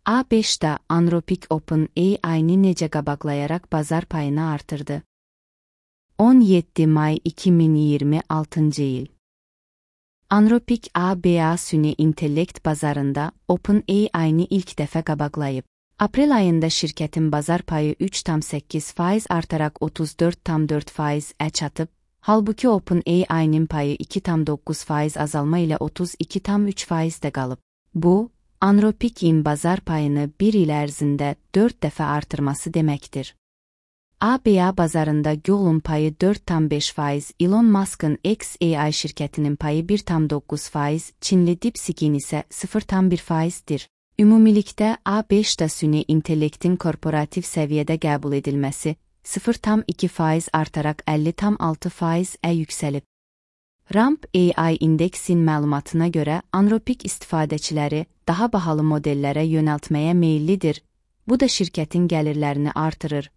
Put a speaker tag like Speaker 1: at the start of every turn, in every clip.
Speaker 1: A5'də Anthropic OpenAI-ni necə qabaqlayaraq bazar payını artırdı? 17 may 2026 il. Anthropic ABA süni intellekt bazarında OpenAI-ni ilk dəfə qabaqlayıb. Aprel ayında şirkətin bazar payı 3,8% artaraq 34,4%-ə çatıb, halbuki OpenAI-nin payı 2,9% azalma ilə 32,3%-də qalıb. Bu, Anthropic'in bazar payını bir il ərzində 4 dəfə artırması deməkdir. ABA bazarında Google'un payı 4,5%, Elon Musk'ın xAI şirkətinin payı 1,9%, Çinli DeepSeek'in isə 0,1%dir. Ümumilikdə A5'də süni intellektin korporativ səviyyədə qəbul edilməsi 0,2% artaraq 50,6%-ə yüksəlib. Ramp AI indeksin məlumatına görə Anthropic istifadəçiləri daha bahalı modellərə yönəltməyə meyillidir. Bu da şirkətin gəlirlərini artırır,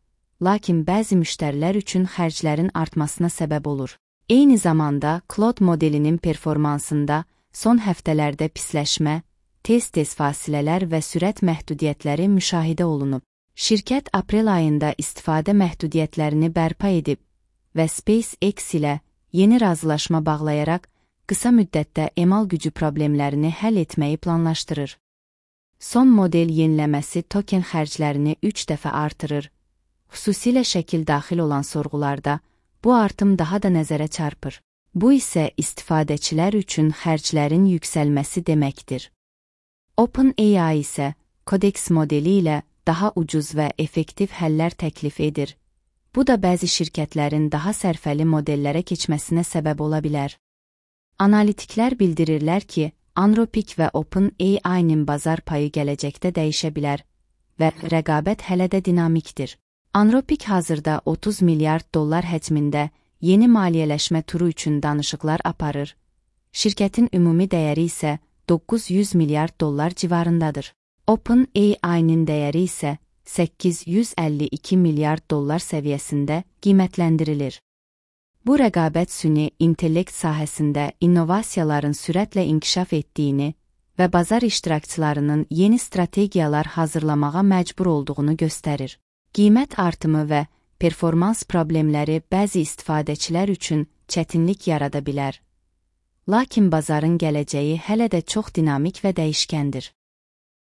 Speaker 1: lakin bəzi müştərilər üçün xərclərin artmasına səbəb olur. Eyni zamanda Claude modelinin performansında son həftələrdə pisləşmə, tez-tez fasilələr və sürət məhdudiyyətləri müşahidə olunub. Şirkət aprel ayında istifadə məhdudiyyətlərini bərpa edib və SpaceX ilə yeni razılaşma bağlayaraq qısa müddətdə emal gücü problemlərini həll etməyi planlaşdırır. Son model yeniləməsi token xərclərini 3 dəfə artırır. Xüsusilə şəkil daxil olan sorğularda bu artım daha da nəzərə çarpır. Bu isə istifadəçilər üçün xərclərin yüksəlməsi deməkdir. OpenAI isə Codex modeli ilə daha ucuz və effektiv həllər təklif edir. Bu da bəzi şirkətlərin daha sərfəli modellərə keçməsinə səbəb ola bilər. Analitiklər bildirirlər ki, Anthropic və OpenAI-nin bazar payı gələcəkdə dəyişə bilər və rəqabət hələ də dinamikdir. Anthropic hazırda $30 milyard həcmində yeni maliyyələşmə turu üçün danışıqlar aparır. Şirkətin ümumi dəyəri isə $900 milyard civarındadır. OpenAI-nin dəyəri isə $852 milyard səviyyəsində qiymətləndirilir. Bu rəqabət süni intellekt sahəsində innovasiyaların sürətlə inkişaf etdiyini və bazar iştirakçılarının yeni strategiyalar hazırlamağa məcbur olduğunu göstərir. Qiymət artımı və performans problemləri bəzi istifadəçilər üçün çətinlik yarada bilər. Lakin bazarın gələcəyi hələ də çox dinamik və dəyişkəndir.